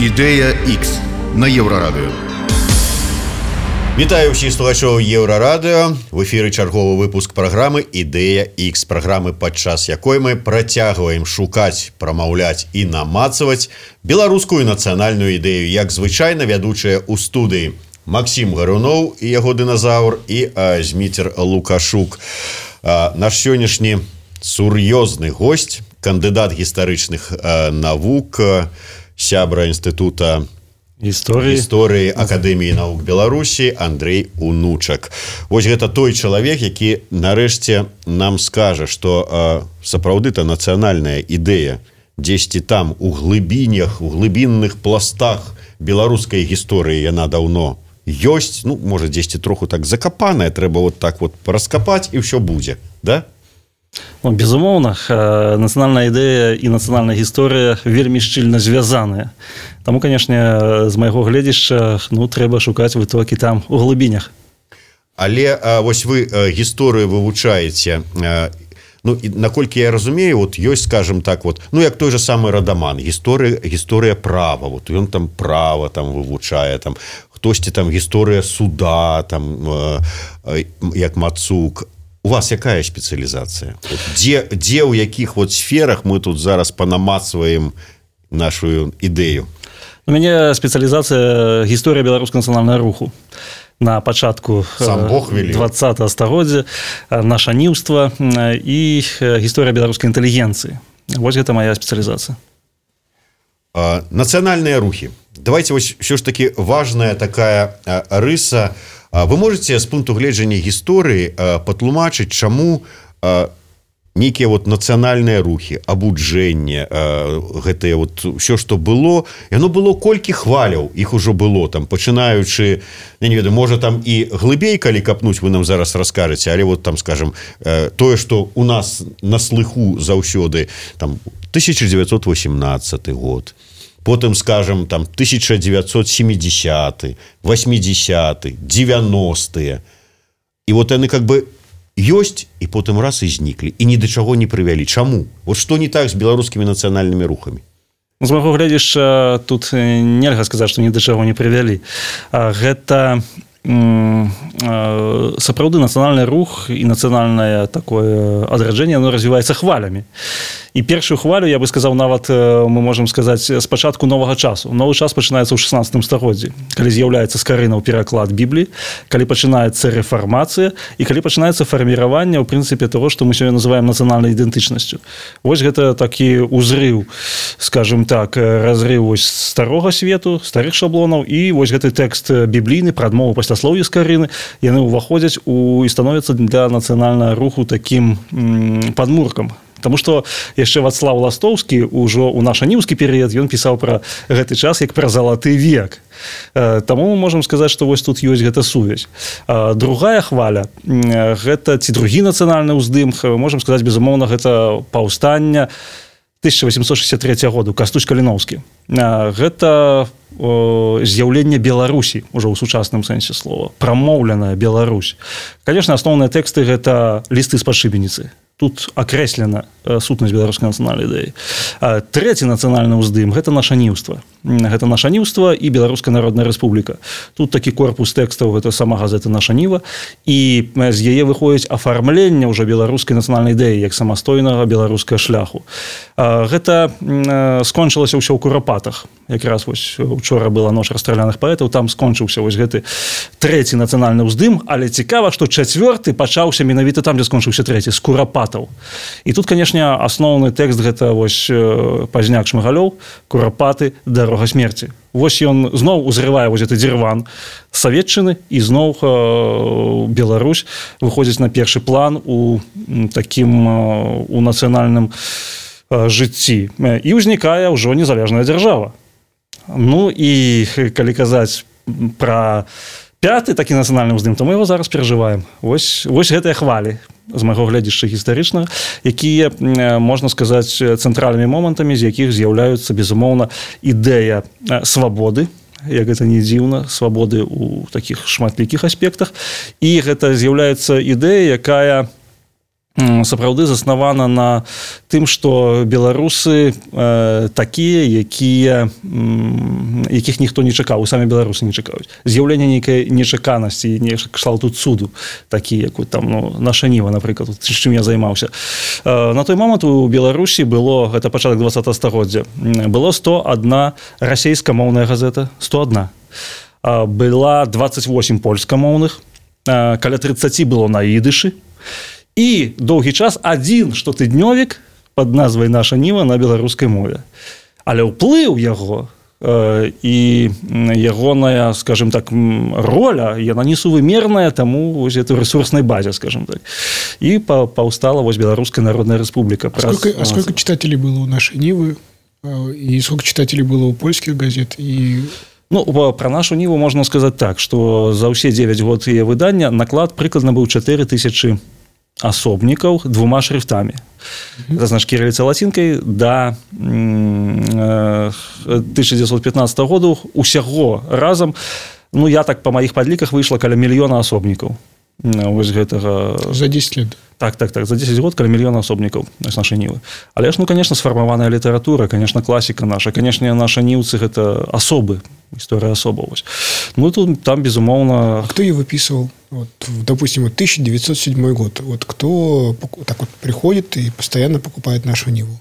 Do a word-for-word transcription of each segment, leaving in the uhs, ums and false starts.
Ідэя Х на Еўрарадыё. Вітаю ўсіх слухачоў Еўрарадыё. В эфіры чарговы выпуск праграмы «Ідэя Х», праграмы, падчас якой мы працягваем шукаць, прамаўляць і намацаваць беларускую нацыянальную ідэю, як звычайна вядучыя ў студыі Максім Гаруноў і яго дыназаўр і а, Зміцер Лукашук. А, наш сённяшні сур'ёзны госць, кандыдат гістарычных а, навук, сябра інстытута гісторыі гісторыі Акадэміі навук Беларусі Андрэй Унучак. Вось гэта той чалавек, які нарэшце нам скажа, што сапраўды-то нацыянальная ідэя дзесьці там у глыбінях, у глыбінных пластах беларускай гісторыі яна даўно ёсць, ну, можа, дзесьці троху так закапаная, трэба вот так вот раскапаць і ўсё будзе, да? Ну, безумоўна, нацыянальная ідэя і нацыянальная гісторыя вельмі шчыльна звязаныя. Таму, канешне, з майго гледзяшча, ну, трэба шукаць вытокі там у глыбінях. Але а, вось вы а, гісторыю вывучаеце, а, ну, і, наколькі я разумею, вот ёсць, скажем так, вот, ну, як той же самы Радаман, гісторыя, гісторыя права, вот ён там права там вывучае, там, хтосьці там гісторыя суда, там, а, а, як Мацук. У вас якая спецыялізацыя? Вот, дзе, дзе ў якіх вот сферах мы тут зараз панамацваем нашу ідэю? У мяне спецыялізацыя гісторыя беларускага нацыянальнага руху. На пачатку двадцатага стагоддзя нашаніўства і гісторыя беларускай інтэлігенцыі. Вось гэта моя спецыялізацыя. А, нацыянальныя рухі. Давайте вось ўсё ж таки важная такая а, рыса. Вы можете з пункту гледжання гісторыі патлумачыць, чаму нейкія вот нацыянальныя рухі, абуджэнне, гэтае вот ўсё, што было, яно было колькі хваляў, іх ужо было, там, пачынаючы, я не ведаю, можа там і глыбей, калі капнуць, вы нам зараз раскажаце, але вот там, скажем, тое, што у нас на слыху заўсёды, там, тысяча дзевяцьсот восемнадцаты год, потым, скажем, там, тысяча девятьсот семидесятый, восьмидесятый, девяностые. І вот яны как бы ёсць, і потым раз і зніклі, і ні да чаго не прывялі. Чаму? Вот што не так з беларускімі нацыянальнымі рухамі? З майго гледзяшча, тут нельга сказаць, што ні да чаго не прывялі. Гэта сапраўды нацыянальны рух і нацыянальнае такое адраджэнне, оно развіваецца хвалямі. І першую хвалю, я бы сказаў, нават мы можам сказаць з пачатку новага часу. Новы час пачынаецца ў шаснаццатым стагоддзі, калі з'яўляецца з карынаў пераклад Бібліі, калі пачынаецца рэфармацыя і калі пачынаецца фарміраванне, ў прынцыпе, таго, што мы сёння называем нацыянальнай ідэнтычнасцю. Вось гэта такі ўзрыў, скажем так, разрыў вось старога свету, старых шаблонаў, і вось гэты тэкст біблійны пра адмову пасляслоўя з карыны, яны ўваходзяць у і становяцца для нацыянальнага руху такім м, падмуркам. Таму што яшчэ Вацлаў Ластоўскі ўжо ў нашаніўскі перыяд ён пісаў пра гэты час як пра залаты век. Таму мы можам сказаць, што вось тут ёсць гэта сувязь. Другая хваля, гэта ці другі нацыянальны ўздым, можам сказаць, безумоўна, гэта паўстанне тысяча восемьсот шестьдесят третьего году, Кастусь Каліноўскі. Гэта з'яўленне Беларусі, ужо ў сучасным сэнсе слова, прамоўленая Беларусь. Канешне, асноўныя тэксты гэта лісты з падшыбеніцы. Тут акрэслена сутнасць беларускай нацыянальнай ідэі. Трэці нацыянальны ўздым – гэта нашаніўства. Гэта нашаніўства і Беларуская народная рэспубліка. Тут такі корпус тэкстаў – гэта сама газета «Нашаніва», і з яе выходзіць афармленне ўжо беларускай нацыянальнай ідэі як самастойнага беларускага шляху. Гэта скончылася ўсё ў Курапатах. Якраз вось учора была ноч расстраляных паэтаў, там скончыўся вось гэты трэці нацыянальны ўздым, але цікава, што чацвёрты пачаўся менавіта там, дзе скончыўся трэці, з Курапатаў. І тут, канешне, асноўны тэкст гэта вось Пазняк Шмыгалёў, Курапаты, дарога смерці. Вось ён зноў узрывае вось гэты дзірван саветчыны, і зноў э, Беларусь выходзіць на першы план у такім э, у нацыянальным э, жыцці. І ўзнікае ўжо незалежная дзяржава. Ну і калі казаць пра пяты такі нацыянальны ўздым, то мы его зараз перажываем. Вось, вось гэтыя хвалі з майго гледзяшча гістарычнага, якія, можна сказаць, цэнтральнымі момантамі, з якіх з'яўляюцца, безумоўна, ідэя свабоды, як гэта не дзіўна, свабоды ў такіх шматлікіх аспектах, і гэта з'яўляецца ідэя, якая сапраўды заснавана на тым, што беларусы э, такія, якія якіх ніхто не чакаў, самі беларусы не чакаюць. З'яўленне нейкай нечаканасці, не кшталту цуду, такі, як там, ну, наша Ніва, напрыклад, з чым я займаўся. Э, на той момант у Беларусі было, гэта пачатак двадцатага стагоддзя, было сто адна расейскамоўная газета, сто адна. Э, была дваццаць восем польскамоўных, э, каля трыццаць было на ідышы, і доўгі час адзін штотыднёвік пад назвай «Наша Ніва» на беларускай мове. Але ўплыў яго э, і ягоная, скажем так, роля, яна несувымерная таму вось этой ресурснай базе, скажем так. І паўстала вось Беларуская Народная Рэспубліка. А сколько, а сколько читателей было у «Нашей Нивы» и сколько читателей было у польских газет? И... Ну, про нашу Ниву можна сказаць так, што за ўсе дзевяць год яе выдання наклад прыкладна быў чатыры тысячы асобнікаў двума шрифтамі. Mm-hmm. Это значит кириллицей латинкой до тысяча девятьсот пятнадцатого года усяго разом, ну, я так по моих подліках выйшла каля мільёна асобнікаў. Вось гэтага... За десять лет. Так, так, так. За десять год каля мільёна асобнікаў з нашай Нівы. Але ж, ну, конечно, сфармаваная літаратура, конечно, класіка наша. Конечно, наша Нівцы – гэта асобы, история особа. Ну, тут, там, безумовно... А кто ее выписывал? Вот, допустим, вот тысяча девятьсот седьмой год. Вот кто так вот приходит и постоянно покупает нашу Ниву?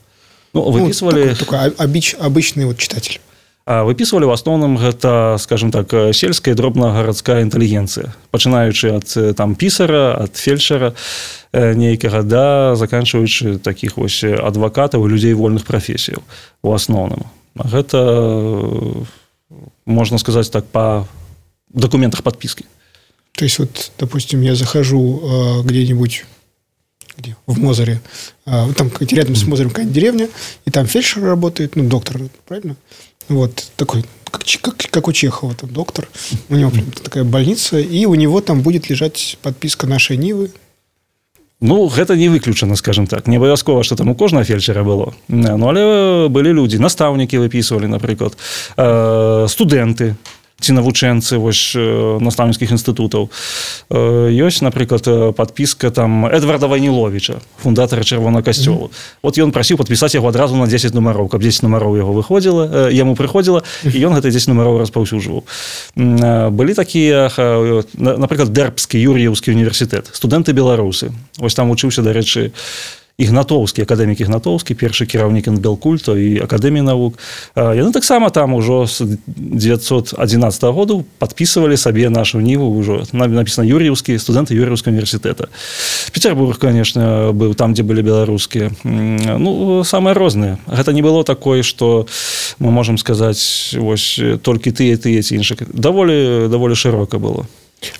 Ну, выписывали... Ну, такой, такой обыч, обычный вот читатель. Выписывали в основном гэта, скажем так, сельская дробна-гарадская інтэлігенцыя, пачынаючы ад там пісара, ад фельчара нейкага, да, заканчиваючы таких вось адвакатаў і людзей вольных прафесіяў у асноўным. Гэта, можно сказать так, по документах подписки. То есть, вот, допустим, я захожу э, где-нибудь где? В Мозыре, э, там рядом с Мозырем какая-нибудь деревня, и там фельдшер работает, ну, доктор, правильно? Вот, такой, как, как, как у Чехова, там, доктор. У него такая больница, и у него там будет лежать подписка «Нашей Нивы». Ну, гэта не выключана, скажем так. Не абавязкова, што там у кожнага фельчара было. Ну, але былі людзі, настаўнікі выпісвалі, напрыклад, студэнты, ці навучэнцы вось настаўніцкіх інстытутаў. Ёсць, напрыклад, падпіска там Эдварда Вайніловіча, фундатара Чырвонага касцёла. Mm-hmm. Вот ён прасіў падпісаць яго адразу на дзесяць нумароў, каб дзесяць нумароў яго выходзіла, яму прыходзіла, і ён гэта дзесяць нумароў распаўсюджваў. Былі такія, напрыклад, Дэрбскі Юр'еўскі універсітэт, студэнты беларусы. Вось там вучыўся, дарэчы, Ігнатоўскі, акадэмік Ігнатоўскі, першы кіраўнік Інбелкульту і акадэміі навук. Яны таксама там ужо з девятьсот одиннадцатого году падпісывалі сабе нашу Ніву, ўжо напісана Юр'еўскі, студэнты Юр'еўскага універсітэта. Петербург, конечно, быў там, дзе былі беларускія. Ну, самыя розныя. Гэта не было такое, што мы можам сказаць, вось толькі тыя, тыя ці іншыя. Даволі, даволі шырока было.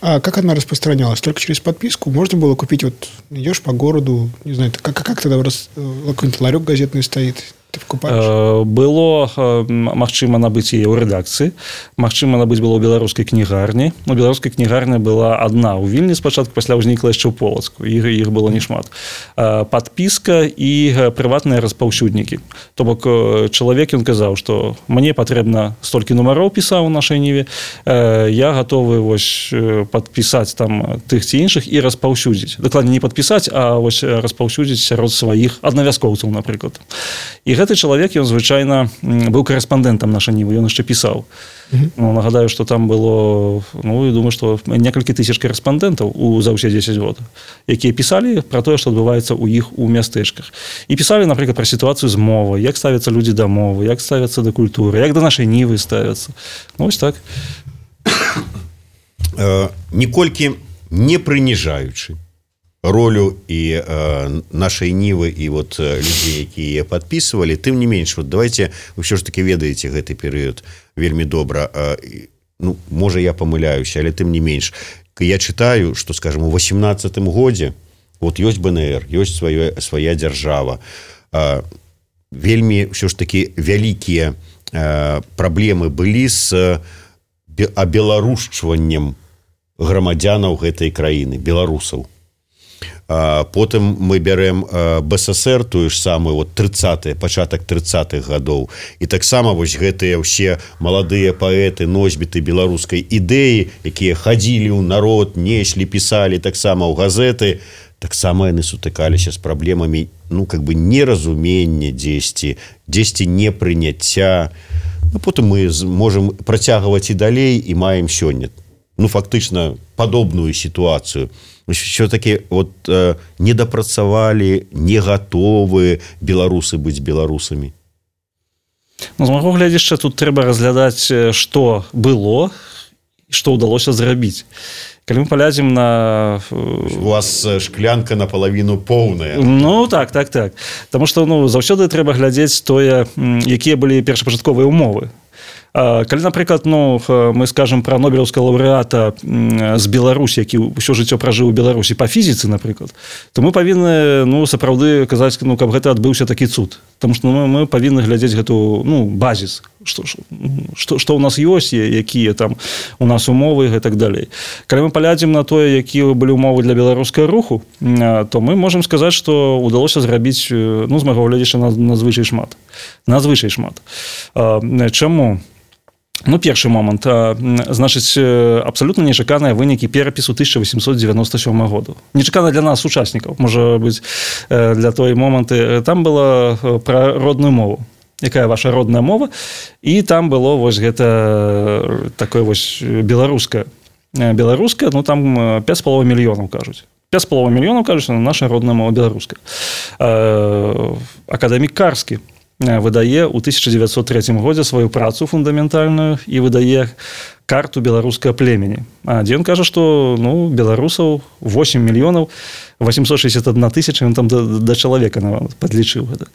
А как она распространялась? Только через подписку? Можно было купить, вот идешь по городу, не знаю, как, как тогда раз, какой-нибудь ларек газетный стоит, ты покупаешь? Было магчыма набыць яе ў рэдакцыі, магчыма набыць было ў беларускай кнігарні. Ну, беларуская кнігарня была адна ў Вільні спачатку, пасля ўзнікла яшчэ ў Полацку, іх, іх было немат. Падпіска і прыватныя распаўсюднікі. То бок чалавек, ён казаў, што мне патрэбна столькі нумароў, пісаў у нашай Ніве, я гатовы вось падпісаць там тых ці іншых і распаўсюдзіць. Дакладней, не падпісаць, а вось распаўсюдзіць сярод сваіх аднавязкоўцаў, напрыклад. І гэты чалавек, ён звычайна быў корэспандэнтам нашай Нівы, ён яшчэ пісаў. Mm-hmm. Ну, нагадаю, што там было, ну, я думаю, што некалькі тысяч корэспандэнтаў у за ўсе дзесяць год, якія пісалі пра тое, што адбываецца ў іх у мястэчках. І пісалі, напрыклад, пра сітуацыю з мовай, як ставяцца людзі да мовы, як ставяцца да культуры, як да нашай Нівы ставяцца. Ну, вось так. Ніколькі не прыніжаючы ролю і э, нашай Нівы і вот людзей, якія падпісвалі, тым не менш, вот давайте, вы ўсё ж таки ведаеце гэты перыяд вельмі добра. Э, ну, можа, я памыляюся, але тым не менш. Я чытаю, што, скажем, у восемнадцатым годзе вот ёсць бэ эн эр, ёсць свая, свая дзяржава. Э, вельмі ўсё ж таки вялікія э, праблемы былі з абеларушчваннем грамадзянаў гэтай краіны, беларусаў. Потым мы бярэм бэ эс эс эр, тую ж самую вот трыццатыя, пачатак трыццатых гадоў, і таксама вось гэтыя ўсе маладыя паэты, носьбіты беларускай ідэі, якія хадзілі ў народ, неслі, пісалі таксама ў газеты, таксама яны сутыкаліся з праблемамі, ну, как бы неразумення дзесьці, дзесьці непрыняцця. Ну, потым мы можам працягваць і далей і маем сёння, ну, фактычна падобную сітуацыю. Все-таки вот э, недапрацавалі, не гатовы беларусы быць беларусамі. Ну, з майго гледзяча, тут трэба разглядаць, што было і што ўдалося зрабіць. Калі мы паглядзім на... У вас шклянка напалавіну поўная. Ну, так, так, так. Таму што, ну, заўсёды трэба глядзець тое, якія былі першапачатковыя умовы. Калі, напрыклад, ну, мы скажам пра нобелеўскага лаўрэата з Беларусі, які ўсё жыццё пражыў у Беларусі па фізіцы, напрыклад, то мы павінны, ну, сапраўды казаць, ну, каб гэта адбыўся такі цуд. Таму што ну, мы павінны глядзець гэту, ну, базіс, што, што, што ў нас ёсць, якія там у нас умовы і так далей. Калі мы паглядзім на тое, якія былі умовы для беларускага руху, то мы можам сказаць, што ўдалося зрабіць, ну, з майго гледзяча, надзвычай шмат. Надзвычай шмат. Чаму? Ну, першы момант. Значыць, абсалютна нечаканыя вынікі перапісу тысяча восемьсот девяносто сёмага году. Нечакана для нас, сучаснікаў, можа быць, для той моманты. Там было пра родную мову. Якая ваша родная мова? І там было вось гэта такое вось беларускае. Беларускае, ну, там пяць з паловай мільёнаў, кажуць. пяць з паловай мільёнаў, кажуць, наша родная мова беларуская. Акадэмік Карскі выдае ў тысяча дзевяцьсот трэцім годзе сваю працу фундаментальную і выдае карту беларускага племені. А дзе ён кажа, што, ну, беларусаў восемь мільёнаў восемьсот шестьдесят одна тысяча, ён там да, да чалавека падлічыў гэта.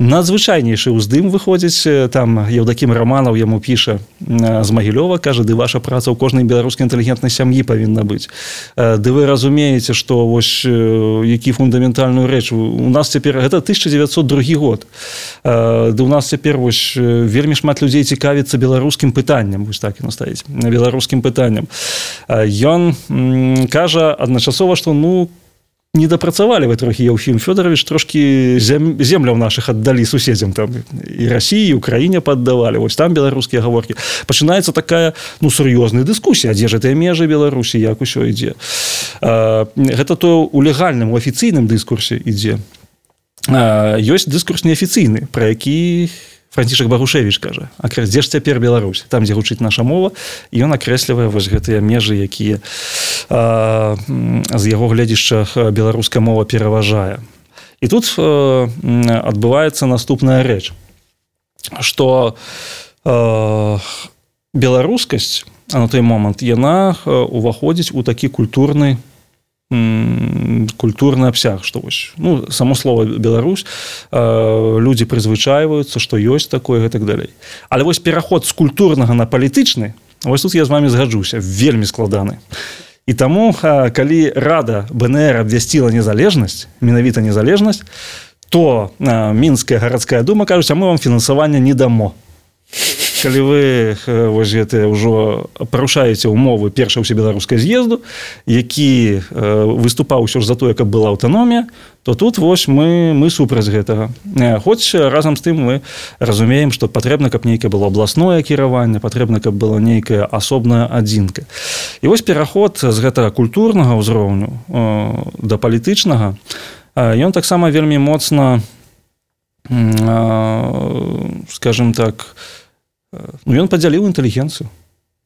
Надзвычайнейшы ўздым выходзіць, там Еўдакім Раманаў яму піша з Магілёва, кажа, ды ваша праца ў кожнай беларускай інтэлігентнай сям'і павінна быць. Ды вы разумееце, што вось які фундаментальную рэч. У нас цяпер, гэта тысяча дзевяцьсот другі год. Ды у нас цяпер вось вельмі шмат людзей цікавіцца беларускім пытанням, вось так і настаіць, беларускім пытанням. Ён кажа адначасова, што, ну, не дапрацавалі вы трохі, Еўфім Фёдорович, трошкі зем, земляў нашых аддалі суседзям, там і Расіі, і Украіне паддавалі, вось там беларускія гаворкі. Пачынаецца такая, ну, сур'ёзная дыскусія, дзе ж гэтыя межы Беларусі, як усё ідзе. Гэта то ў легальным, у афіцыйным дыскурсе ідзе. Ёсць дыскурс неафіцыйны, пра які Францішак Багушевіч кажа, дзе ж цяпер Беларусь, там, дзе гучыць наша мова, і ён акрэслівае вось гэтыя межы, якія а, з яго гледзішча беларуская мова пераважае. І тут а, адбываецца наступная рэч, што а, беларускасць, а на той момант, яна уваходзіць у такі культурны культурны абсяг, што вось, ну, само слово Беларусь, людзі прызвычайваюцца, што ёсць такое і так далей. Але вось пераход з культурнага на палітычны, вось тут я з вами згаджуся, вельмі складаны. І таму, калі Рада БНР абвясціла незалежнасць, менавіта незалежнасць, то Мінская гарадская дума кажуць, а мы вам фінансавання не дамо. Калі вы вось гэтыя ўжо парушаеце умовы першага ўсебеларускага з'езду, які выступаў ўсё ж за тое, каб была аўтаномія, то тут вось мы, мы супраць гэтага. Хоць разам з тым мы разумеем, што патрэбна, каб нейкае было абласное кіраванне, патрэбна, каб была нейкая асобная адзінка. І вось пераход з гэтага культурнага ўзроўню да палітычнага, ён таксама вельмі моцна, скажем так, ну, ён падзяліў інтэлігенцыю.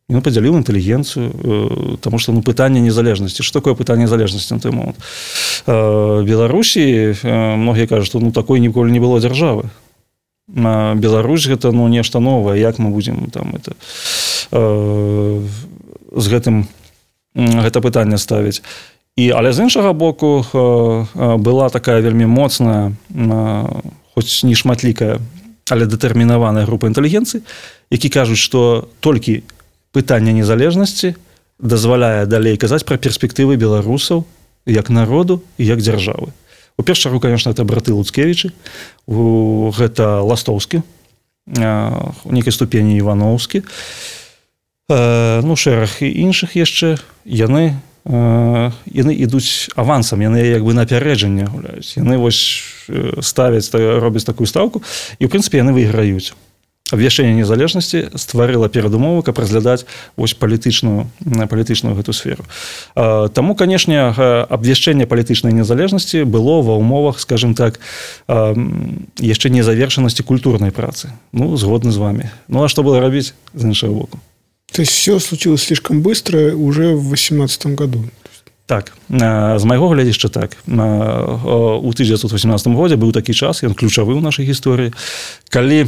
Ён падзяліў інтэлігенцыю, таму што, ну, пытанне незалежнасці. Што такое пытанне незалежнасці на той момант? Беларусі, многія кажуць, што, ну, такой ніколі не было дзяржавы. Беларусь гэта, ну, нешта новае, як мы будзем там это з гэтым гэта пытанне ставіць. І, але з іншага боку была такая вельмі моцная, хоць не шматлікая, але дэтэрмінаваная група інтэлігенцыі, які кажуць, што толькі пытанне незалежнасці дазваляе далей казаць пра перспектывы беларусаў як народу і як дзяржавы. У першую чаргу, конечно, это браты Луцкевічы, гэта Ластоўскі, у нейкай ступені Івановскі, ну, шэраг і іншых яшчэ, яны яны ідуць авансам, яны як бы напярэджанне гуляюць. Яны вось ставяць, робяць такую стаўку, і, ў прынцыпе, яны выйграюць. абвяшчэнне незалежнасці стварыла перадумовы, каб разглядаць вось палітычную палітычную гэту сферу. Таму, канешне, абвяшчэнне палітычнай незалежнасці было ва ўмовах, скажем так, яшчэ незавершанасці культурнай працы. Ну, згодны з вами. Ну, а што было рабіць з іншага боку? То есть все случилось слишком быстро уже в восемнадцатом году? Так, з майго глядзішча так. У тысяча девятьсот восемнадцатом годзе быў такі час, ён ключавы ў нашай гісторыі, калі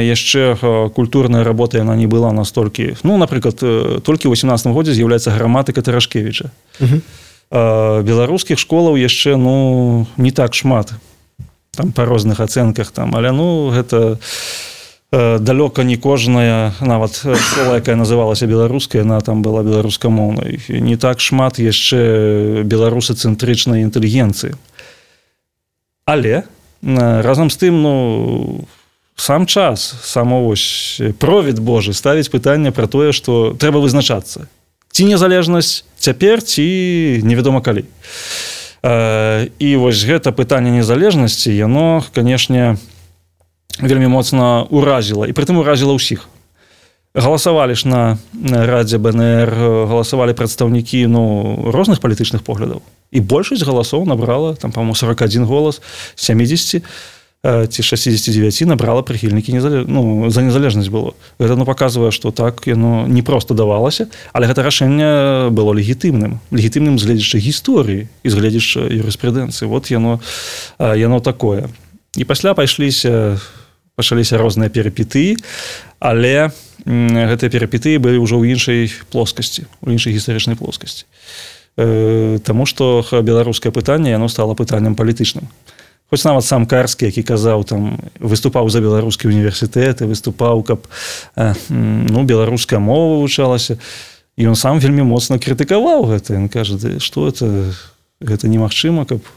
яшчэ культурная работа яна не была настолькі, ну, напрыклад, толькі ў восемнадцатым годзе з'яўляецца граматыка Тарашкевіча. Угу. Беларускіх школаў яшчэ, ну, не так шмат, там па розных ацэнках, там, але, ну, гэта далёка не кожная, нават школа, якая называлася беларускай, яна там была беларускамоўнай. Не так шмат яшчэ беларусацэнтрычнай інтэлігенцыі. Але разам з тым, ну, сам час, само вось провід Божы ставіць пытанне пра тое, што трэба вызначацца. Ці незалежнасць цяпер, ці невядома калі. І вось гэта пытанне незалежнасці, яно, канешне, вельмі моцна уразіла, і прытым уразіла ўсіх. Галасавалі ж на радзе бэ эн эр, галасавалі прадстаўнікі, ну, розных палітычных поглядаў. І большасць галасоў набрала, там, па-моему, сорок один голас, семьдесят ці шестьдесят девять набрала прыхільнікі незалеж... ну, за незалежнасць было. Гэта, ну, паказвае, што так яно не проста давалася, але гэта рашэнне было легітымным. Легітымным з гледзяча гісторыі і з гледзяча юрыспрудэнцыі. Вот яно, яно такое. І пасля пайшліся пачаліся розныя перыпетыі, але гэтыя перыпетыі былі ўжо ў іншай плоскасці, у іншай гістарычнай плоскасці. Таму што беларускае пытанне, яно стала пытаннем палітычным. Хоць нават сам Карскі, які казаў, там, выступаў за беларускі універсітэт, выступаў, каб, ну, беларуская мова вывучалася, і ён сам вельмі моцна крытыкаваў гэта. Ён кажа, што это, гэта немагчыма, каб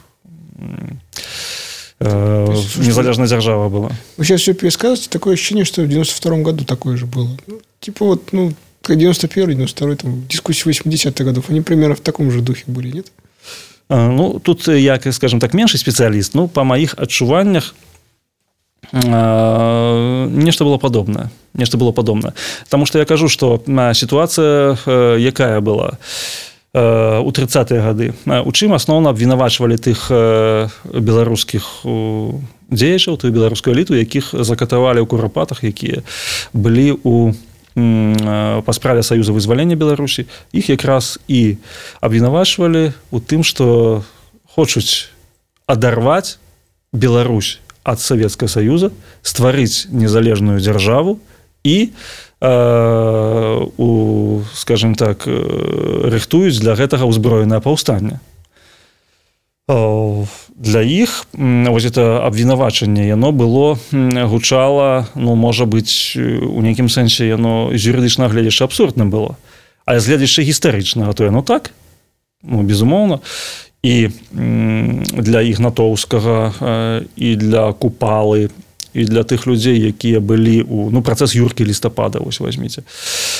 незалежная держава была. Вы сейчас все пересказываете, такое ощущение, что в девяносто втором году такое же было. Ну, типа вот, ну, девяносто первый, девяносто второй, там, дискуссии восьмидесятых годов, они примерно в таком же духе были, нет? А, ну, тут я, скажем так, меньший специалист, но по моих адчуваннях а, нечто было подобное. Нечто было подобное. Потому что я кажу, что ситуация якая была у тридцатыя гады. У чым асноўна абвінавачвалі тых беларускіх дзеячаў, тую беларускую эліту, якіх закатавалі ў курапатах, якія былі у па справе Саюза вызвалення Беларусі. Іх якраз і абвінавачвалі у тым, што хочуць адарваць Беларусь ад Савецкага Саюза, стварыць незалежную дзяржаву і у, скажем так, рыхтуюць для гэтага ўзброенае паўстанне. Для іх вось это абвінавачанне, яно было, гучала, ну, можа быць, у нейкім сэнсе яно з юрыдычнага гледзяча абсурдным было. А з гледзяча гістарычнага, то яно так, ну, безумоўна. І для Ігнатоўскага, і для Купалы, і для тых людзей, якія былі у, ну, працэс Юркі Лістапада, вось возьміце,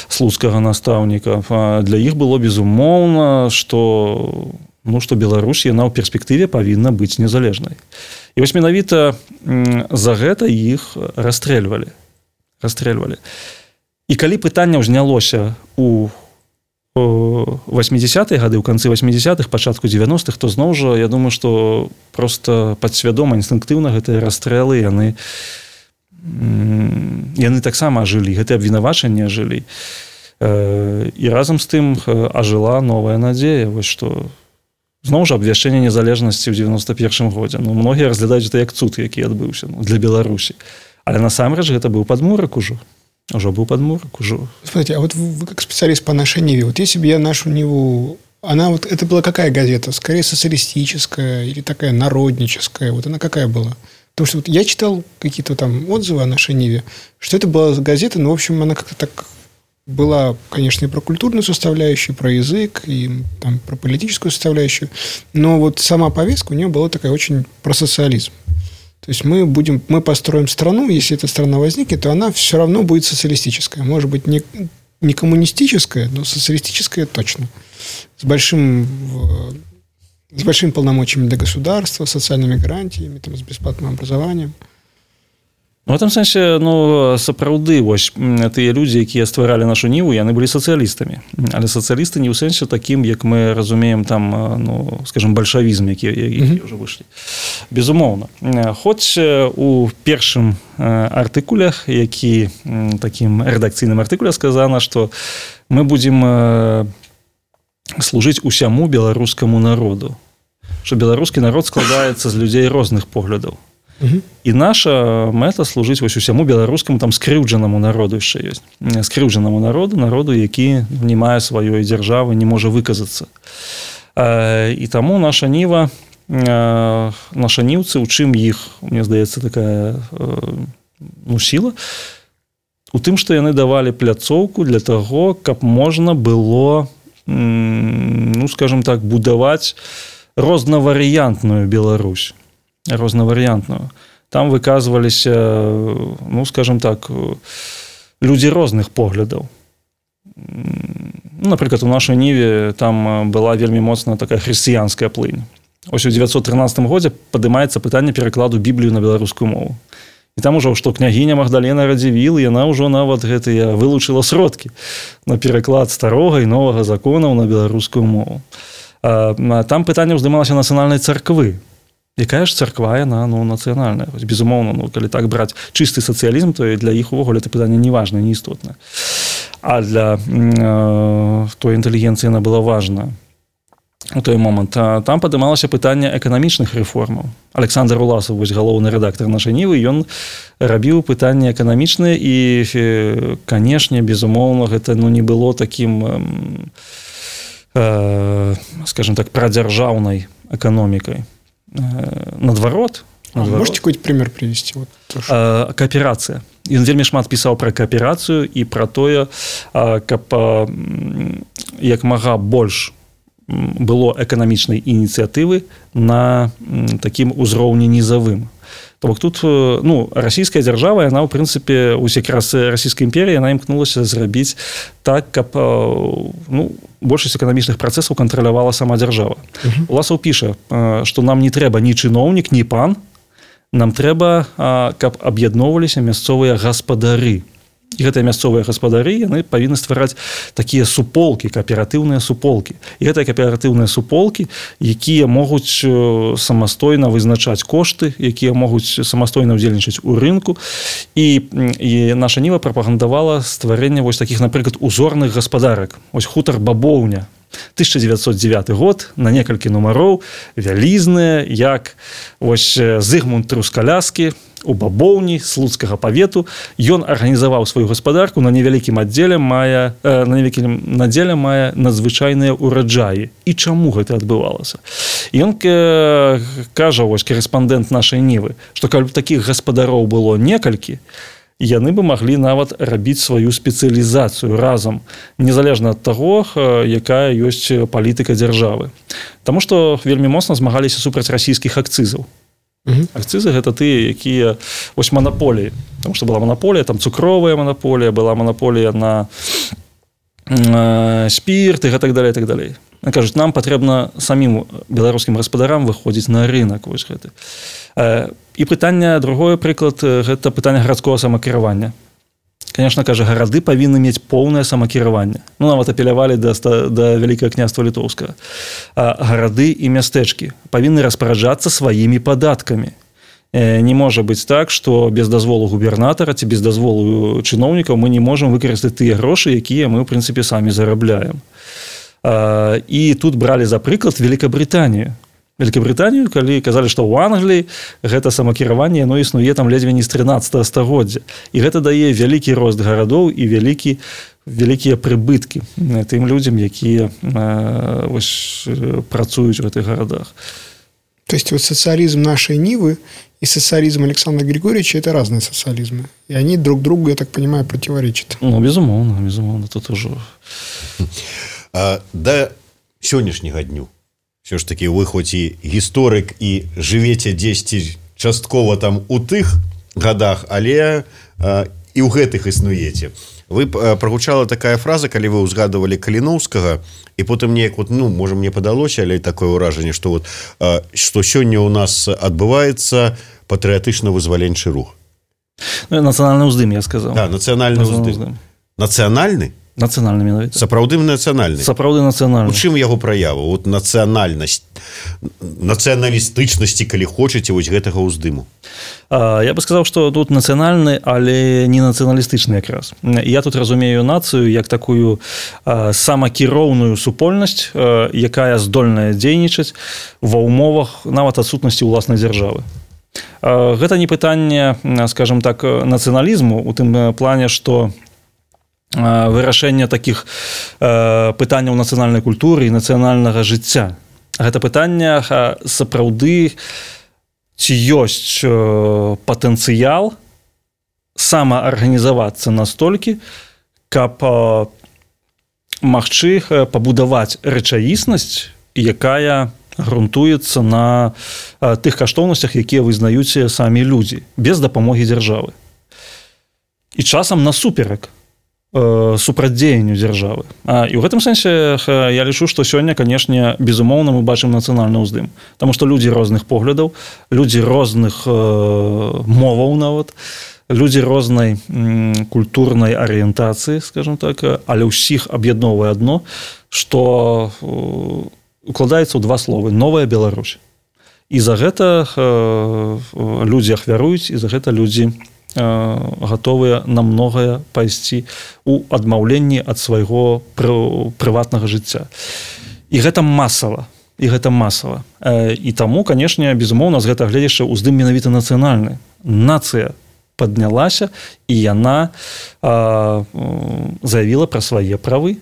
слуцкага настаўніка, для іх было безумоўна, што, ну, што Беларусь, яна ў перспектыве павінна быць незалежнай. І вось менавіта за гэта іх расстрэльвалі. Расстрэльвалі. І калі пытанне ўзнялося у восьмидесятыя гады, ў канцы восьмидесятых, пачатку девяностых, то зноў жа, я думаю, што проста падсвядома, інстынктыўна гэтыя расстрэлы, яны, яны таксама ажылі, гэтыя абвінавачанні ажылі. І разам з тым ажыла новая надзея, вось што зноў жа абвяшчэнне незалежнасці ў девяносто першым годзе. Ну, многія разглядаюць гэта як цуд, які адбыўся, ну, для Беларусі. Але насамрэч гэта быў падмурак ужо. Уже был подмурок, уже. Смотрите, а вот вы, вы как специалист по нашей Ниве, вот если бы я нашу Ниву, она вот, это была какая газета? Скорее социалистическая или такая народническая? Вот она какая была? Потому что вот я читал какие-то там отзывы о нашей Ниве, что это была газета, но, в общем, она как-то так была, конечно, и про культурную составляющую, про язык, и там, про политическую составляющую, но вот сама повестка у нее была такая очень про социализм. То есть мы будем, мы построим страну, если эта страна возникнет, то она все равно будет социалистическая. Может быть, не, не коммунистическая, но социалистическая точно. С большим, с большими полномочиями для государства, социальными гарантиями, там, с бесплатным образованием. В этом сэнсе, ну, сапраўды, вось, тыя людзі, якія стваралі нашу ніву, яны былі сацыялістамі. Але сацыялісты не ў сэнсе такім, як мы разумеем там, ну, скажем, бальшавізм, які, які ўжо вышлі. Безумоўна. Хоць у першым артыкулях, які такім рэдакцыйным артыкуле сказана, што мы будзем служыць усяму беларускаму народу. Што беларускі народ складаецца з людзей розных поглядаў. І наша мэта служыць вось усяму беларускаму там скрыўджанаму народу яшчэ ёсць. Скрыўджанаму народу, народу, які не мае сваёй дзяржавы, не можа выказацца. І таму наша ніва, наша ніўцы, у чым іх, мне здаецца, такая ну, сіла, у тым, што яны давалі пляцоўку для таго, каб можна было, ну, скажем так, будаваць рознаварыянтную Беларусь. Рознаварыянтную. Там выказваліся, ну, скажем так, людзі розных поглядаў. Ну, напрыклад, у нашай ніве там была вельмі моцная такая хрысціянская плынь. Ось у девятьсот тринадцатым годзе падымаецца пытанне перакладу Біблію на беларускую мову. І там ужо, што княгіня Магдалена Радзівіл, яна ўжо нават гэтыя вылучыла сродкі на пераклад старога і новага законаў на беларускую мову. Там пытанне ўздымалася нацыянальнай царквы. Якая ж царква, яна, ну, нацыянальная. Безумоўна, ну, калі так браць чысты сацыялізм, то і для іх увогуле это пытанне не важнае, не істотнае. А для э, той інтэлігенцыі яна была важная у той момант. А там падымалася пытанне эканамічных рэформаў. Александр Уласаў, вось галоўны рэдактар нашай нівы, ён рабіў пытанне эканамічнае і, канешне, безумоўна, гэта, ну, не было такім, э, скажем так, прадзяржаўнай эканомікай. Наадварот, наадварот. Можете какой-то пример привести? Вот, а, кооперацыя. Ён вельмі шмат пісаў пра кааперацыю і пра тое, каб як мага больш было эканамічнай ініцыятывы на такім узроўні нізавым. То бок тут, ну, расійская дзяржава, яна, ў прынцыпе, ось якраз расійская імперія, яна імкнулася зрабіць так, каб, ну, большасць эканамічных працэсаў кантралявала сама дзяржава. Uh-huh. Уласаў піша, што нам не трэба ні чыноўнік, ні пан, нам трэба, каб аб'ядноўваліся мясцовыя гаспадары. І гэтыя мясцовыя гаспадары, яны павінны ствараць такія суполкі, кааператыўныя суполкі. І гэтыя кааператыўныя суполкі, якія могуць самастойна вызначаць кошты, якія могуць самастойна ўдзельнічаць у рынку. І, і наша ніва прапагандавала стварэнне вось такіх, напрыклад, узорных гаспадарак. Ось хутар Бабоўня. тысяча девятьсот девятый год, на некалькі нумароў, вялізныя, як ось Зыгмунд Трускаляскі, у Бабоўні слуцкага павету. Ён арганізаваў сваю гаспадарку на невялікім аддзеле мае, э, на невялікім надзеле мае надзвычайныя ураджаі. І чаму гэта адбывалася? Ён э, кажа, вось корэспандэнт нашай нівы, што калі б такіх гаспадароў было некалькі, яны бы маглі нават рабіць сваю спецыялізацыю разам, незалежна ад таго, якая ёсць палітыка дзяржавы. Таму што вельмі моцна змагаліся супраць расійскіх акцызаў. Uh-huh. Акцызы гэта тыя, якія вось манаполіі. Таму што была манаполія, там цукровая манаполія, была манаполія на э, спірт і так далее, так далее. Кажуць, нам патрэбна самім беларускім гаспадарам выходзіць на рынок вось гэты. Э, і пытанне, другое прыклад, гэта пытанне гарадскога самакіравання. Конечно, кажа, гарады павінны мець поўнае самакіраванне. Ну, нават апелявалі да, да Вялікага княства Літоўскага. А гарады і мястэчкі павінны распараджацца сваімі падаткамі. Не можа быць так, што без дазволу губернатара ці без дазволу чыноўнікаў мы не можам выкарыстаць тыя грошы, якія мы, ў прынцыпе, самі зарабляем. І тут бралі за прыклад Великабрытанію. Великабрытанію, калі казалі, што ў Англіі гэта самакіраванне, яно існуе там ледзьве не з трынаццатага стагоддзя. І гэта дае вялікі рост гарадоў і вялікі, вялікія прыбыткі тым людзям, якія э, ось, працуюць у гэтых гарадах. То есть вот социализм нашей Нивы и социализм Александра Григорьевича – это разные социализмы. И они друг другу, я так понимаю, противоречат. Ну, безумоўна, безумоўна, тут уже... А, да сённяшняга дню все ж таки вы хоць і гісторык і жывеце дзесьці часткова там у тых гадах, але а, і ў гэтых існуеце. Вы прагучала такая фраза, калі вы ўзгадывалі Каліноўскага, і потым неяк вот, ну, можа, мне падалося, але такое ўражанне, што вот а, што сёння ў нас адбываецца патрыятычна-вызваленчы рух. Нацыянальны ўздым, я сказаў. Да, нацыянальны ўздым. Нацыянальны? Нацыянальны менавіта. Сапраўды нацыянальны. Сапраўды нацыянальны. У чым яго праява? Вот нацыянальнасць, нацыяналістычнасці, калі хочаце, вось гэтага ўздыму. А, я бы сказаў, што тут нацыянальны, але не нацыяналістычны якраз. Я тут разумею нацыю як такую а, самакіроўную супольнасць, а, якая здольная дзейнічаць ва ўмовах нават адсутнасці ўласнай дзяржавы. А, гэта не пытанне, скажем так, нацыяналізму у тым плане, што вырашэнне такіх э, пытанняў нацыянальнай культуры і нацыянальнага жыцця. Гэта пытанне сапраўды ці ёсць э, патэнцыял самаарганізавацца настолькі, каб э, магчы пабудаваць рэчаіснасць, якая грунтуецца на э, тых каштоўнасцях, якія вызнаюць самі людзі, без дапамогі дзяржавы. І часам насуперак супрацьдзеянню дзяржавы. А, і ў гэтым сэнсе я лічу, што сёння, канешне, безумоўна, мы бачым нацыянальны ўздым. Таму што людзі розных поглядаў, людзі розных э, моваў нават, людзі рознай м, культурнай арыентацыі, скажем так, але ўсіх аб'ядноўвае адно, што э, укладаецца ў два словы: новая Беларусь. І за гэта э, людзі ахвяруюць, і за гэта людзі гатовыя на многае пайсці у адмаўленні ад свайго прыватнага жыцця. І гэта масава. І гэта масава. І таму, канешне, безумоўна, з гэтага гледзяча ўздым менавіта нацыянальны. Нацыя паднялася, і яна а, заявила про свае правы.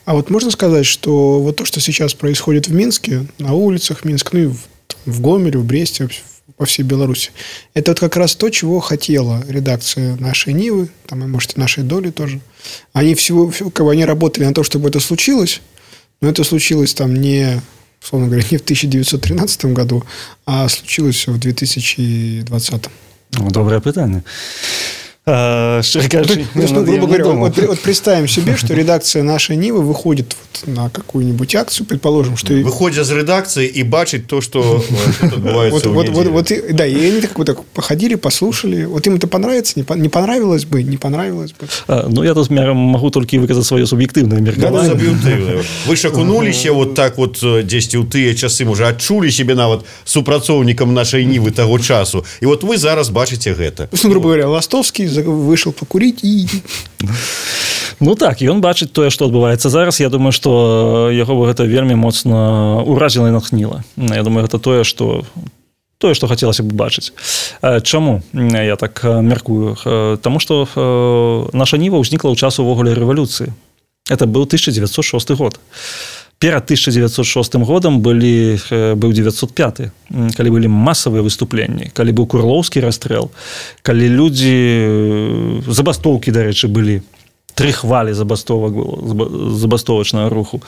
А вот можно сказать, что вот то, что сейчас происходит в Минске, на улицах Минска, ну и в, в Гомеле, в Бресте, по всей Беларуси, это вот как раз то, чего хотела редакция нашей Нивы, там, и, может, и нашей Доли тоже. Они всего, как бы, они работали на то, чтобы это случилось, но это случилось там не, условно говоря, не в тысяча девятьсот тринадцатом году, а случилось в две тысячи двадцатом. Ну, доброе питание. А, что, кажучи, ну, ну, грубо говоря, вот, вот представим себе, что редакция нашей Нивы выходит вот на какую-нибудь акцию, предположим, что... Выходит из редакции и бачит то, что отбывается в неделю. Да, и они так походили, послушали. Вот им это понравится, не понравилось бы, не понравилось бы. Ну, я тут могу только выказать свое субъективное меркаванне. Вы ж окунуліся вот так вот дзесьці ў тыя часы, можа, адчулі себе нават супрацоўнікам нашай Нівы таго часу. І вот вы зараз бачыце гэта. Ну, грубо говоря, Ластовский вышел покурить и... Ну так, і ён бачыць тое, што адбываецца зараз. Я думаю, што яго бы гэта вельмі моцна ўразіла і натхніла. Я думаю, гэта тое, што тое, што хацелася б бачыць. Чаму я так мяркую? Таму што наша Ніва ўзнікла ў час увогуле рэвалюцыі. Это быў тысяча девятьсот шосты год. Перад тысяча девятьсот шостым годам былі, быў девятьсот пяты, калі былі масавыя выступленні, калі быў Курлоўскі расстрэл, калі людзі, забастоўкі, дарэчы, былі, тры хвалі забастовак было, забастовачнага руху.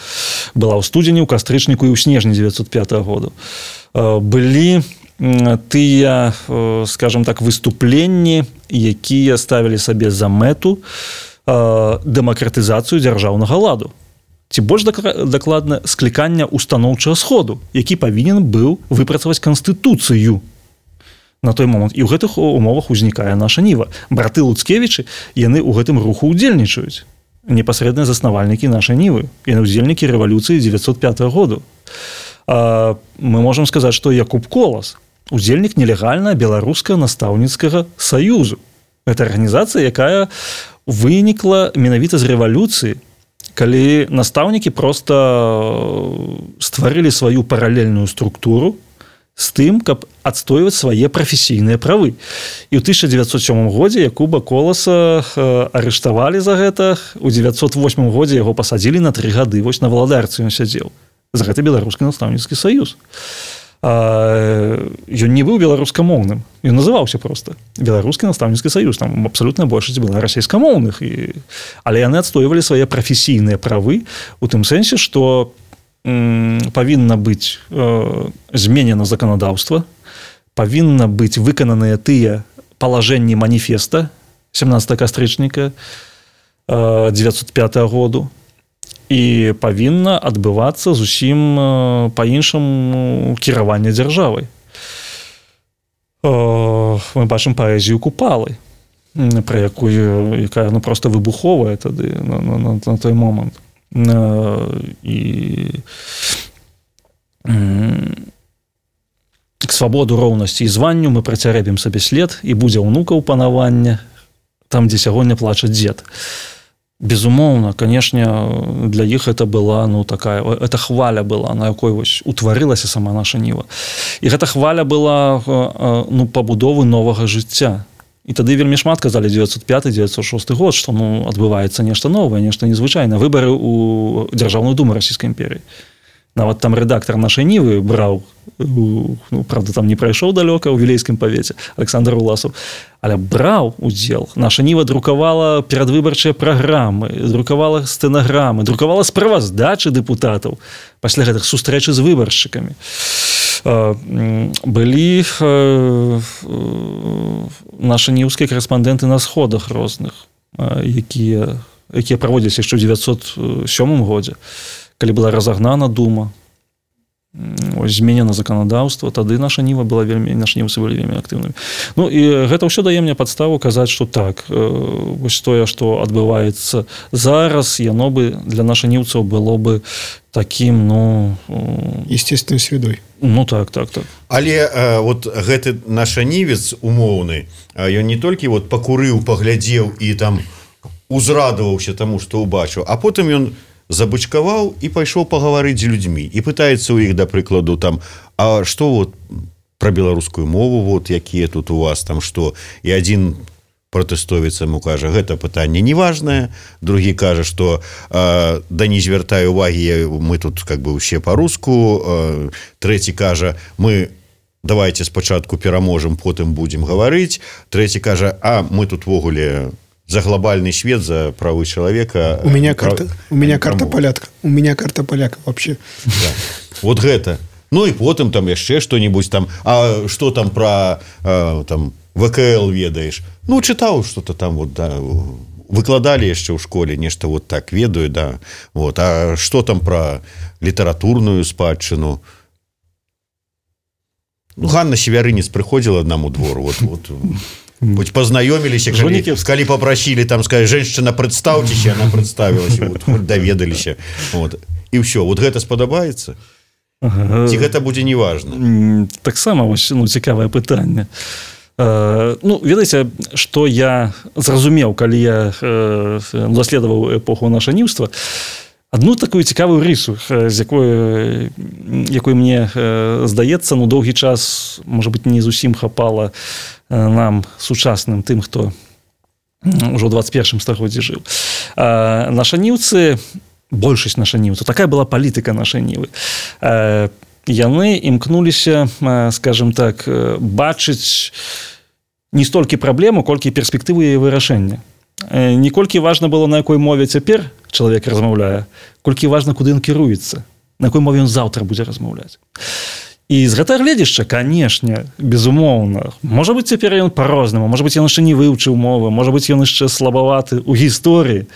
Была ў студзені, ў кастрычніку і ў снежні девятьсот пятага году. Былі тыя, скажем так, выступленні, якія ставілі сабе за мэту дэмакратызацыю дзяржаўнага ладу. Ці больш дакладна склікання устаноўчага сходу, які павінен быў выпрацаваць канстытуцыю на той момант. І ў гэтых умовах узнікае наша Ніва. Браты Луцкевічы, яны ў гэтым руху ўдзельнічаюць. Непасрэдныя заснавальнікі нашай Нівы. Яны ўдзельнікі рэвалюцыі девятьсот пятага году. А мы можам сказаць, што Якуб Колас удзельнік нелегальна беларускага настаўніцкага саюзу. Гэта арганізацыя, якая вынікла менавіта з рэвалюцыі, калі настаўнікі проста стварылі сваю паралельную структуру з тым, каб адстойваць свае прафесійныя правы. І ў тысяча девятьсот сёмым годзе Якуба Коласа арыштавалі за гэта, у девятьсот восьмым годзе яго пасадзілі на тры гады, вось на валадарцы ён сядзеў. За гэта беларускі настаўніцкі саюз. А, ён не быў беларускамоўным, ён называўся проста беларускі настаўніцкі саюз, там абсалютная большасць была расейскамоўных, і... але яны адстойвалі свае прафесійныя правы у тым сэнсе, што м, павінна быць э, зменена заканадаўства, павінна быць выкананыя тыя палажэнні маніфеста сямнадцатага кастрычніка э, девятьсот пятага году, і павінна адбывацца зусім па-іншаму кіраванне дзяржавай. мы бачым паэзію Купалы, про якую, якая ну, просто выбуховая тады на, на, на, на той момант. І к свабоду, роўнасці і званню мы працярэбім сабе след, і будзе ўнукаў панавання там, дзе сягоння плача дзед. Безумоўна, канешне, для іх это была, ну, такая, это хваля была, на якой вось утварылася сама наша Ніва. І гэта хваля была, ну, пабудовы новага жыцця. І тады вельмі шмат казалі дзевяцьсот пяты - дзевяцьсот шосты год, што, ну, адбываецца нешта новае, нешта незвычайнае. Выбары ў Дзяржаўную думу Расійскай імперіі. Нават там рэдактар нашай Нівы браў, ну, правда, там не прайшоў далёка ў Вілейскім павеце, Александр Уласаў, але браў удзел. Наша Ніва друкавала перадвыбарчыя праграмы, друкавала стэнаграмы, друкавала справаздачы дэпутатаў пасля гэтых сустрэчы з выбаршчыкамі. Былі нашы ніўскія карэспандэнты на сходах розных, якія, якія праводзіліся яшчэ ў дзевяцьсот сёмым годзе, калі была разагнана дума, ось, зменена заканадаўства, тады наша Ніва была вельмі, нашы німцы былі вельмі актыўнымі. Ну, і гэта ўсё дае мне падставу казаць, што так, вось тое, што адбываецца зараз, яно бы для нашых німцаў было бы такім, ну... естественной средой. Ну, так, так, так. Але э, вот гэты наш нівец умоўны, ён не толькі вот пакурыў, паглядзеў і там узрадаваўся таму, што ўбачыў, а потым ён забычкаваў і пайшоў пагаварыць з людзьмі і пытаецца ў іх, да прыкладу, там, а што вот пра беларускую мову, вот якія тут у вас там што, і адзін пратэстовец яму кажа, гэта пытанне неважнае, другі кажа, што э, да не звяртай увагі, мы тут как бы усе па-руску, э, трэці кажа, мы давайте спачатку пераможам, потым будзем гаварыць, трэці кажа, а мы тут ввогуле за глобальный свет, за правы человека. У меня карта, у меня карта полятка. У меня карта поляка вообще. Да. Вот гэта. Ну и потом там яшчэ что-нибудь там. А что там про а, там ВКЛ ведаешь? Ну, читал что-то там вот, да. Выкладали яшчэ ў школе, нешта вот так ведаю, да. Вот. А что там про литературную спадчыну? Ну, Ганна Севярынец приходила одному двору, вот, вот. Хоть познаёмились, калі, калі попросили, там сказать, женщина, представьтесь, она представилась, вот, хоть доведаліся. Вот. И все, вот гэта спадабаецца? Ага. Ці гэта будзе неважно? Таксама, ну, цікавае пытанне. Uh, ну, ведаеце, што я зразумеў, калі я uh, даследаваў эпоху нашаніўства, одну такую цікавую рису, з якой, якой мне uh, здаецца, ну, доўгі час, можа быць, не зусім хапала uh, нам, сучасным, тым, хто ўжо ў двадцать першым стагоддзі жыў. Uh, нашаніўцы, большасць нашаніўцаў, такая была палітыка нашай Нівы, uh, яны імкнуліся, скажем так, бачыць не столькі праблему, колькі перспектывы яе вырашэння. Не колькі важна было, на якой мове цяпер чалавек размаўляе, колькі важна, куды ён кіруецца, на якой мове ён заўтра будзе размаўляць. І з гэтага гледзяшча, канешне, безумоўна, можа быць, цяпер ён па-рознаму, можа быць, ён яшчэ не вывучыў мовы, можа быць, ён яшчэ слабаваты ў гісторыі,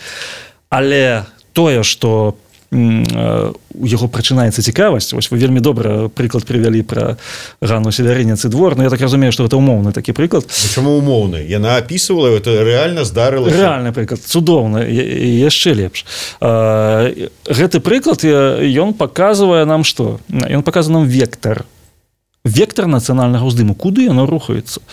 але тое, што у яго прачынаецца цікавасць. Вось вы вельмі добра прыклад прывялі пра Ганну Севярынец і двор, но я так разумею, што гэта умоўны такі прыклад. Чаму умоўны? Яна апісвала, это рэальна здарылася. Рэальны прыклад, цудоўны, і яшчэ лепш. Гэты прыклад, ён паказвае нам што? Ён паказвае нам вектар. Вектар нацыянальнага ўздыму, куды яно рухаецца.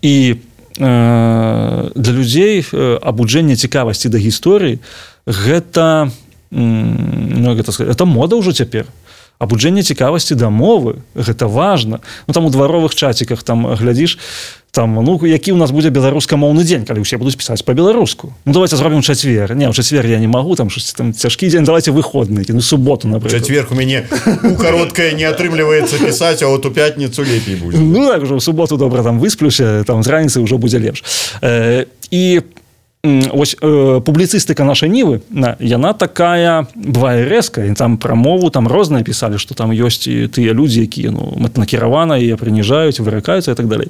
І для людзей абуджэнне цікавасці да гісторыі гэта ну, гэта, это мода ўжо цяпер. Абуджэнне цікавасці да мовы, гэта важна. Ну, там у дваровых чаціках там глядзіш, там, ну, які ў нас будзе беларускамоўны дзень, калі ўсе будуць пісаць па-беларуску. Ну, давайте зробім чацвер. Не, ў чацвер я не магу, там щось там цяжкі дзень, давайте выходны, ну, суботу, напрыклад. Чацверг у мяне у кароткае не атрымліваецца пісаць, а вот у пятніцу лепей будзе. Ну, так, ўжо ў суботу добра там высплюся, там з раніцы ўжо будзе лепш. Э, і ось э, публіцыстыка нашай Нівы, яна такая бывае рэзкая, там пра мову там розныя пісалі, што там ёсць і тыя людзі, якія ну, накіравана яе прыніжаюць, выракаюцца і так далей.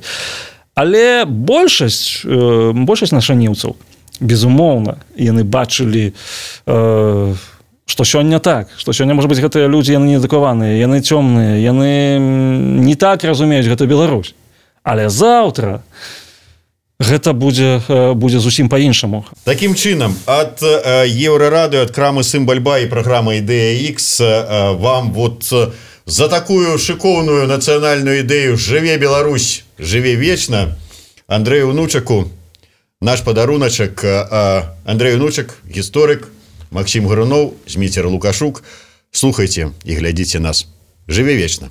Але большасць э, большасць нашаніўцаў, безумоўна, яны бачылі э, што сёння так, што сёння, можа быць, гэтыя людзі яны неадукаваныя, яны цёмныя, яны не так разумеюць гэту Беларусь. Але заўтра гэта будзе будзе зусім по-іншаму. Такім чынам, ад Еўрарадыё, ад крамы Сымбальба і праграмы Ідэя Х вам вот за такую шыкоўную нацыянальную ідэю «Жыве Беларусь, жыве вечна» Андрэю Унучаку наш падаруначак. Андрэй Унучак, гісторык, Максім Гаруноў, Зміцер Лукашук. Слухайце і глядзіце нас. Жыве вечна.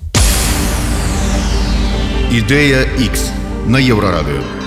Ідэя Х на Еўрарадыё.